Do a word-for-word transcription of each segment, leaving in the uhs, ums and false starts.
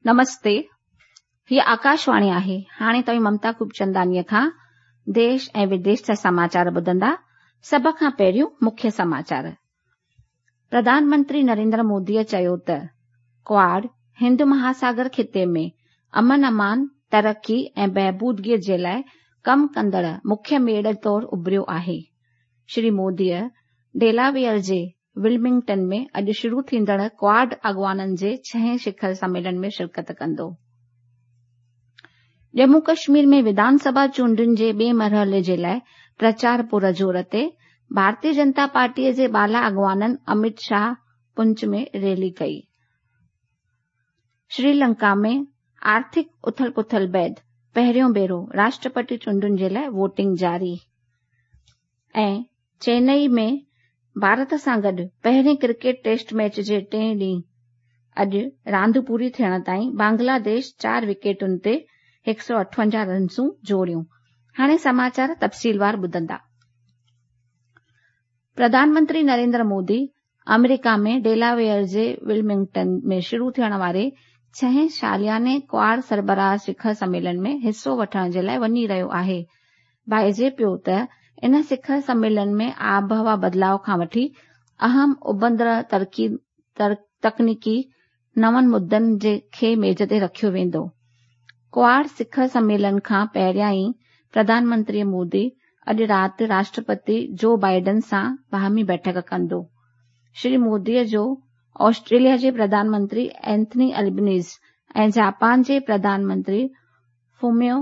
नमस्ते, हीअ आकाशवाणी आहे। हाणे तव्हीं ममता खूबचंदानीअ खां देश ऐं विदेश जा समाचार ॿुधंदा। सभ खां पहिरियों मुख्य समाचार। प्रधानमंत्री नरेंद्र मोदीअ चयो त क्वाड हिंद महासागर ख़िते में अमन अमान, तरक़ी ऐं बहबूदगीअ जे लाइ कमु कंदड़ मुख्य मेड़ तौरु उभरियो आहे। श्री मोदीअ डेलावेयर जे विल्मिंगटन में अॼु शुरू थींदड़ क्वाड अॻवाननि जे छहें शिखर सम्मेलन में शिरकत कंदो। जम्मू कश्मीर में विधानसभा चूंडुनि जे ॿिए मरहले जे लाइ प्रचार पुर ज़ोर ते। भारतीय जनता पार्टीअ जे बाला अॻवाननि अमित शाह पुंछ में रैली कई। श्रीलंका में आर्थिक उथल पुथल बाद पहिरियों भेरो राष्ट्रपति चूंडुनि जे लाइ वोटिंग जारी। ऐं चेन्नई में भारत सां गॾु पहिरीं क्रिकेट टेस्ट मैच जे टें ॾींहुं अॼु रांदि पूरी थियण ताईं बांग्लादेश चारि विकेटुनि ते हिकु सौ अठवंजाह रनसूं जोड़ियूं। हाणे समाचार तफ़सीलवार ॿुधंदा। प्रधानमंत्री नरेंद्र मोदी अमेरिका में डेलावेयर जे विल्मिंगटन में शुरू थियण वारे छहें सालियाने क्वाड सरबराह शिखर सम्मेलन में हिसो वठण जे लाइ वञी रहियो आहे। भाइजे पियो त इन शिखर सम्मेलन में आबहवा बदिलाव खां वठी अहम उभरंदड़ तरक़ी तकनीकी नवनि मुद्दनि जे खे मेज ते रखियो वेंदो। क्वाड शिखर सम्मेलन खां पहिरियां ई प्रधानमंत्री मोदी अॼु राति राष्ट्रपति जो बाइडन सां बाहमी बैठक कंदो। श्री मोदीअ जो ऑस्ट्रेलिया जे प्रधानमंत्री एंथनी अल्बनीज़ ऐं जापान जे प्रधानमंत्री फुमियो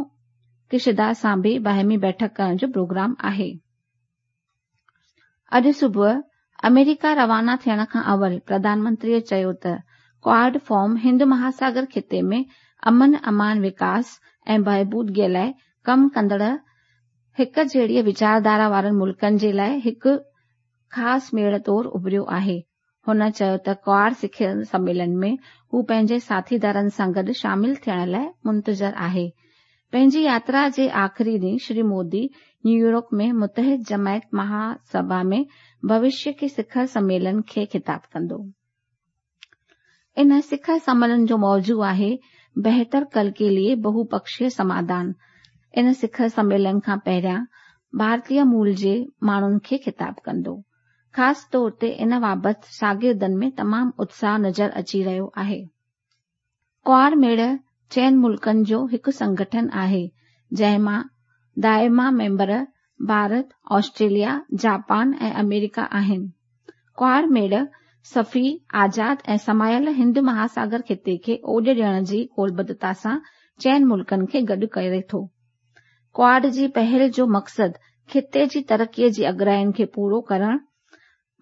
किशिदा सां बि बाहमी बैठक करण जो प्रोग्राम आहे। अॼु सुबुह अमेरिका रवाना थियण खां अवल प्रधानमंत्रीअ चयो त क्वाड फॉर्म हिंद महासागर ख़िते में अमन अमान, विकास ऐं बहबूदगीअ लाइ कमु कंदड़ हिक जहिड़ीअ वीचारधारा वारनि मुल्कनि जे लाइ हिकु ख़ासि मेड़ तौरु उभरियो आहे। हुन चयो त क्वाड शिखर सम्मेलन में हू पंहिंजे साथीदारनि सां गॾु शामिल थियण लाइ मुंतज़र आहे। पंहिंजी यात्रा जे आख़िरी ॾींहुं श्री मोदी न्यूयॉर्क में मुतहिद जमायत महासभा में भविष्य के शिखर सम्मेलन खे ख़िताब कंदो। इन शिखर सम्मेलन जो मौज़ू आहे बेहतर कल के लिए बहुपक्षीय समाधान। इन शिखर सम्मेलन खां पहिरियां भारतीय मूल जे माण्हुनि खे ख़िताब कंदो। ख़ासि तौर ते इन बाबति शागिर्दनि में तमामु उत्साह नज़र अची रहियो आहे। क्वाड मेड़ चइनि मुल्कनि जो हिकु संगठन आहे जंहिं मां दाइमा मेंबर भारत, ऑस्ट्रेलिया, जापान ऐं अमेरिका आहिनि। क्वाड मेड़ सफ़ी, आज़ाद ऐं समायल हिंद महासागर ख़िते खे ओॾ ॾियण जी क़ौलबद्धता सां चइनि मुल्कनि खे गॾु करे थो। क्वाड जी पहल जो मक़सदु ख़िते जी तरक़ीअ जी अगराइनि खे पूरो करणु,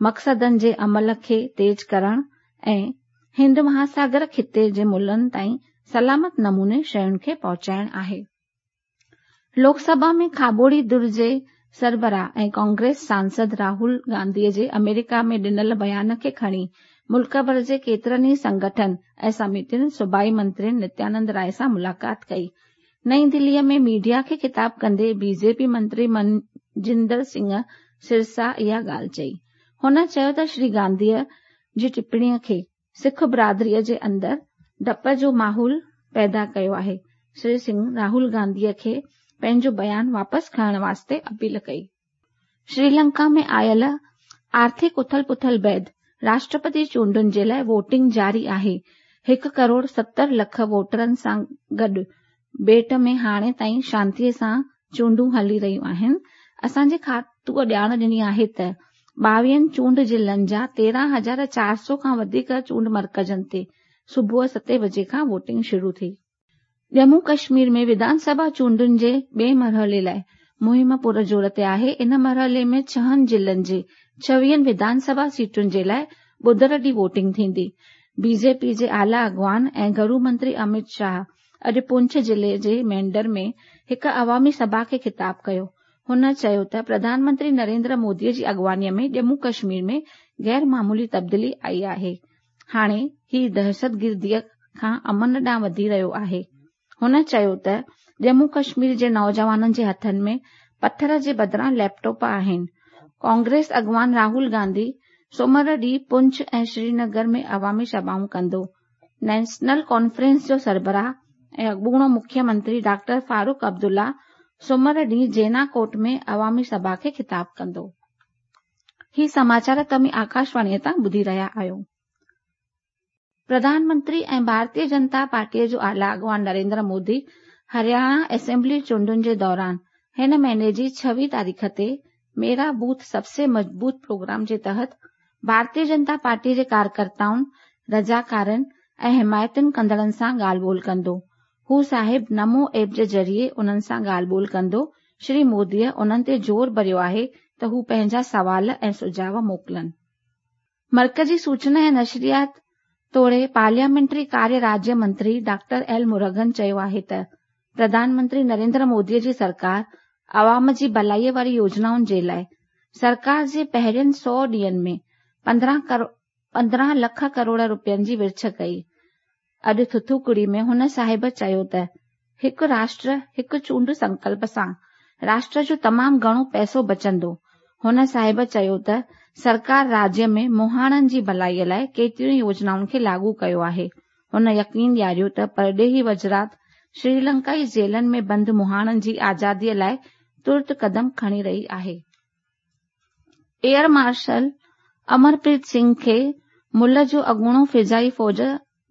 मक़सदनि जे अमल खे तेज़ करणु ऐं हिंद महासागर ख़िते जे मुल्कनि ताईं सलामत नमूने शयुनि खे पहुचाइणु आहे। लोकसभा में खाबोड़ी धुर जे सरबराह ऐं कांग्रेस सांसद राहुल गांधीअ जे अमेरिका में ॾिनल बयान खे खणी मुल्क भर जे केतिरनि ई संगठन ऐं समितियुनि सूबाई मंत्री नित्यानंद राय सां मुलाक़ात कई। नई दिल्लीअ में मीडिया खे ख़िताब कंदे बीजेपी मंत्री मनजिंदर सिंह सिरसा इहा ॻाल्हि चई। हुन चयो त श्री गांधीअ जी टिप्पणीअ खे सिख बिरादरीअ जे अंदरि डप जो माहौल पैदा कयो आहे। श्री सिंह राहुल गांधीअ खे पंहिंजो बयान वापसि खणण वास्ते अपील कई। श्रीलंका में आयल आर्थिक उथल पुथल बाद राष्ट्रपति चूंडुनि जे लाइ वोटिंग जारी आहे। हिकु करोड़ सतरि लख वोटरनि सां गॾु ॿेट में हाणे ताईं शांतीअ सां चूंडूं हली रहियूं आहिनि। असांजे खातूअ ॼाण ॾिनी आहे त ॿावीहनि चूंड ज़िलनि जा तेरहं हज़ार चारि सौ खां वधीक चूंड मर्कज़नि ते सुबुह सते बजे खां वोटिंग शुरू थी। जम्मू कश्मीर में विधानसभा चूंडुनि जे ॿिए मरहले लाइ मुहिम पुर ज़ोर ते आहे। इन मरहले में छहनि ज़िलनि जे छवीहनि विधानसभा सीटुनि जे लाइ ॿुधर ॾींहुं वोटिंग थींदी। बीजेपी जे आला अॻवान ऐं घरू मंत्री अमित शाह अॼु पुंछ ज़िले जे मेंढर में हिकु अवामी सभा खे ख़िताब कयो। हुन चयो त प्रधानमंत्री नरेंद्र मोदीअ जी अॻवानीअ में जम्मू कश्मीर में गैर मामूली तब्दीली आई आहे। हाणे ही दहशतगिर्दीअ खां अमन ॾांहुं वधी रहियो आहे। हुन चयो त जम्मू कश्मीर जे नौजवाननि जे हथनि में पथर जे बदिरां लैपटॉप आहिनि। कांग्रेस अॻवान राहुल गांधी सोमर ॾींहुं पुंछ ऐं श्रीनगर में अवामी सभाऊं कंदो। नेशनल कॉन्फ्रेंस जो सरबराह ऐं अॻूणो मुख्यमंत्री डॉक्टर फारूक अब्दुल्ला सुमर ॾींहुं जेना कोट में अवामी सभा खे ख़िताब कंदो। ही समाचार तव्हीं आकाशवाणीअ तां ॿुधी रहिया आहियो। प्रधानमंत्री ऐं भारतीय जनता पार्टीअ जो आला अॻवान नरेंद्र मोदी हरियाणा असेंबली चूंडुनि जे दौरान हिन महीने जी छवीह तारीख़ ते मेरा बूथ सबसे मज़बूत प्रोग्राम जे तहत भारतीय जनता पार्टी जे कार्यकर्ताउनि, रज़ाकारनि ऐं हिमायतुनि कंदड़नि सां ॻाल्हि ॿोल कंदो। हू साहिब नमो ऐप जे ज़रिए उन्हनि सां ॻाल्हि ॿोल कंदो। श्री मोदीअ उन्हनि ते ज़ोर भरियो आहे त हू पंहिंजा सवाल ऐं सुझाव मोकिलनि। मर्कज़ी सूचना ऐं नशरियात तोड़े पार्लियामेंट्री कार्य राज्य मंत्री डॉक्टर एल मुरुगन चयो आहे त प्रधानमंत्री नरेंद्र मोदीअ जी सरकार अवाम जी भलाईअ वारी योजनाउनि जे लाइ सरकार जे पहिरियनि सौ ॾींहंनि में पंद्रहं लख करोड़ रुपयनि जी विर्छ कई। अॼु थुथुकुड़ी में हुन साहिब चयो त हिकु राष्ट्र हिकु चूंड संकल्प सां राष्ट्र जो तमामु घणो पैसो बचंदो। हुन साहिब चयो त सरकार राज्य में मुहाणनि जी भलाईअ लाइ केतिरियूं ई योजनाउनि खे लागू कयो आहे। हुन यकीन ॾियारियो त परॾेही वज़रात श्रीलंकाई जेलनि में बंदि मुहाणनि जी आज़ादीअ लाइ तुर्त कदम खणी रही आहे। एयर मार्शल अमरप्रीत सिंह खे मुल्क जो अॻूणो फ़िज़ाई फ़ौज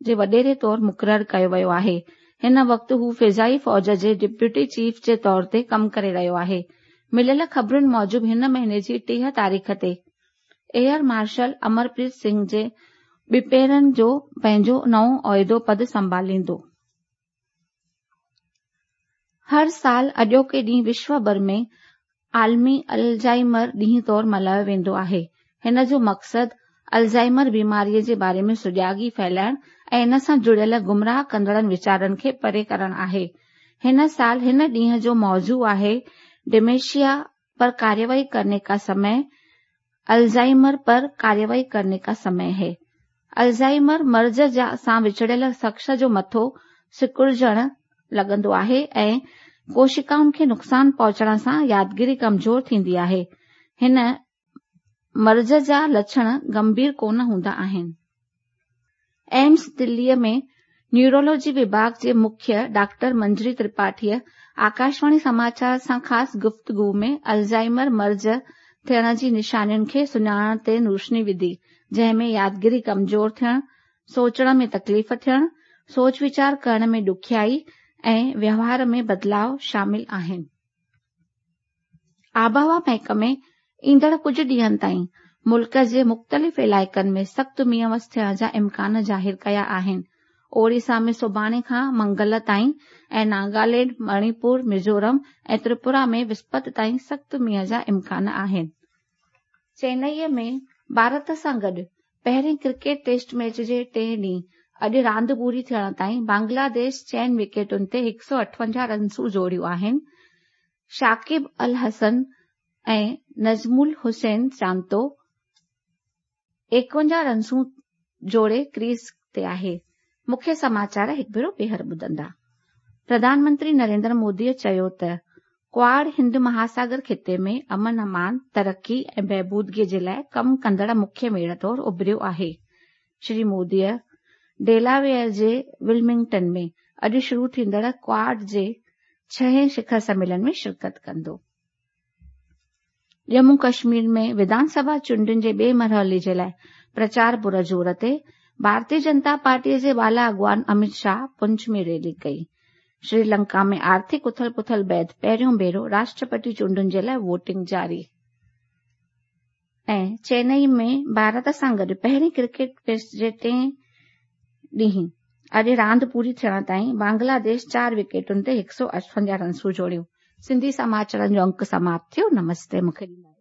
जे वॾेरे तौर मुक़ररु कयो वियो आहे। हिन वक़्तु हू फ़िज़ाई फ़ौज जे डिप्यूटी चीफ जे तौर ते कमु करे रहियो आहे। मिलियल ख़बरुनि मूजिबि हिन महीने जी टीह तारीख़ ते एयर मार्शल अमरप्रीत सिंह जे ॿिपहरनि जो पंहिंजो नओं ओहदो पद संभालींदो। हर साल अॼोके ॾींहुं विश्व भर में आलमी अल्ज़ाइमर ॾींहुं तौर मल्हायो वेंदो आहे। हिन जो मक़सदु अल्ज़ाइमर बीमारीअ जे बारे में सुजागी फैलाइण ऐं इन सां जुड़ियल गुमराह कंदड़नि वीचारनि खे परे करणु आहे। हिन साल हिन ॾींहं जो मौज़ू आहे डिमेंशिया पर कार्रवाई करने का समय अल्ज़ाइमर पर कार्रवाई करने का समय है। अल्ज़ाइमर मर्ज़ सां विछड़ियल शख़्स जो मथो सिकुड़जण लॻंदो आहे ऐं कोशिकाउनि खे नुक़सानु पहुचण सां यादगिरी कमज़ोर थींदी आहे। हिन मर्ज़ जा लछण गंभीर कोन हूंदा आहिनि। एम्स दिल्लीअ में न्यूरोलॉजी विभाग जे मुख्य डॉक्टर मंजरी त्रिपाठीअ आकाशवाणी समाचार सां ख़ासि गुफ़्तगू में अल्ज़ाइमर मर्ज़ थियण जी निशानियुनि खे सुञाणण ते रोशनी विधी, जंहिं में यादगिरी कमज़ोर थियण, सोचण में तकलीफ़ थियण, सोच वीचार करण में ॾुखियाई ऐं व्यवहार में बदिलाव शामिल आहिनि। आबहवा महकमे ईंदड़ कुझु ॾींहंनि ताईं मुल्क जे मुख़्तलिफ़ इलाइक़नि में सख़्तु मींहुं वस थियण जा इम्कान ज़ाहिर कया आहिनि। ओडिशा में सुभाणे खां मंगल ताईं ऐं नागालैंड, मणिपुर, मिज़ोरम ऐं त्रिपुरा में विस्पत ताईं सख़्तु मींहुं जा इम्कान आहिनि। चेन्नईअ में भारत सां गॾु पहिरीं क्रिकेट टेस्ट मैच जे टें ॾींहुं अॼु रांदि पूरी थियण ताईं बांग्लादेश चइनि विकेटुनि ते हिकु सौ अठवंजाह रनसूं जोड़ियूं आहिनि। शाकिब अल हसन ऐं नज़मुल हुसैन चांतो एकवंजाह रनसूं जोड़े क्रीज ते आहे। मुख्य समाचार हिकु भेरो ॿीहर ॿुधंदा। प्रधानमंत्री नरेंद्र मोदीअ चयो त क्वाड हिंद महासागर ख़िते में अमन अमान, तरक़ी ऐं बहबूदगीअ जे लाइ कमु कंदड़ मुख्य मेड़ तौर उभरियो आहे। श्री मोदीअ डेलावेयर जे विल्मिंगटन में अॼु शुरू थींदड़ क्वाड जे छहें शिखर सम्मेलन में शिरकत कंदो। जम्मू कश्मीर में विधानसभा चूंडुनि जे ॿिए मरहले जे लाइ प्रचार पुरज़ोर ते भारतीय जनता पार्टीअ जे बाला अॻवान अमित शाह पुंछ में रैली कई। श्रीलंका में आर्थिक उथल पुथल बाद पहिरियों भेरो राष्ट्रपति चूंडुनि जे लाइ वोटिंग जारी। ऐं चेन्नई में भारत सां गॾु पहिरीं क्रिकेट टेस्ट जे टें ॾींहुं अॼु रांदि पूरी थियण ताईं बांग्लादेश चारि विकेटुनि ते हिकु सौ अठवंजाह रनसूं जोड़ियूं। सिंधी समाचारनि जो अंक समाप्त थियो। नमस्ते। मूंखे ॾींदा।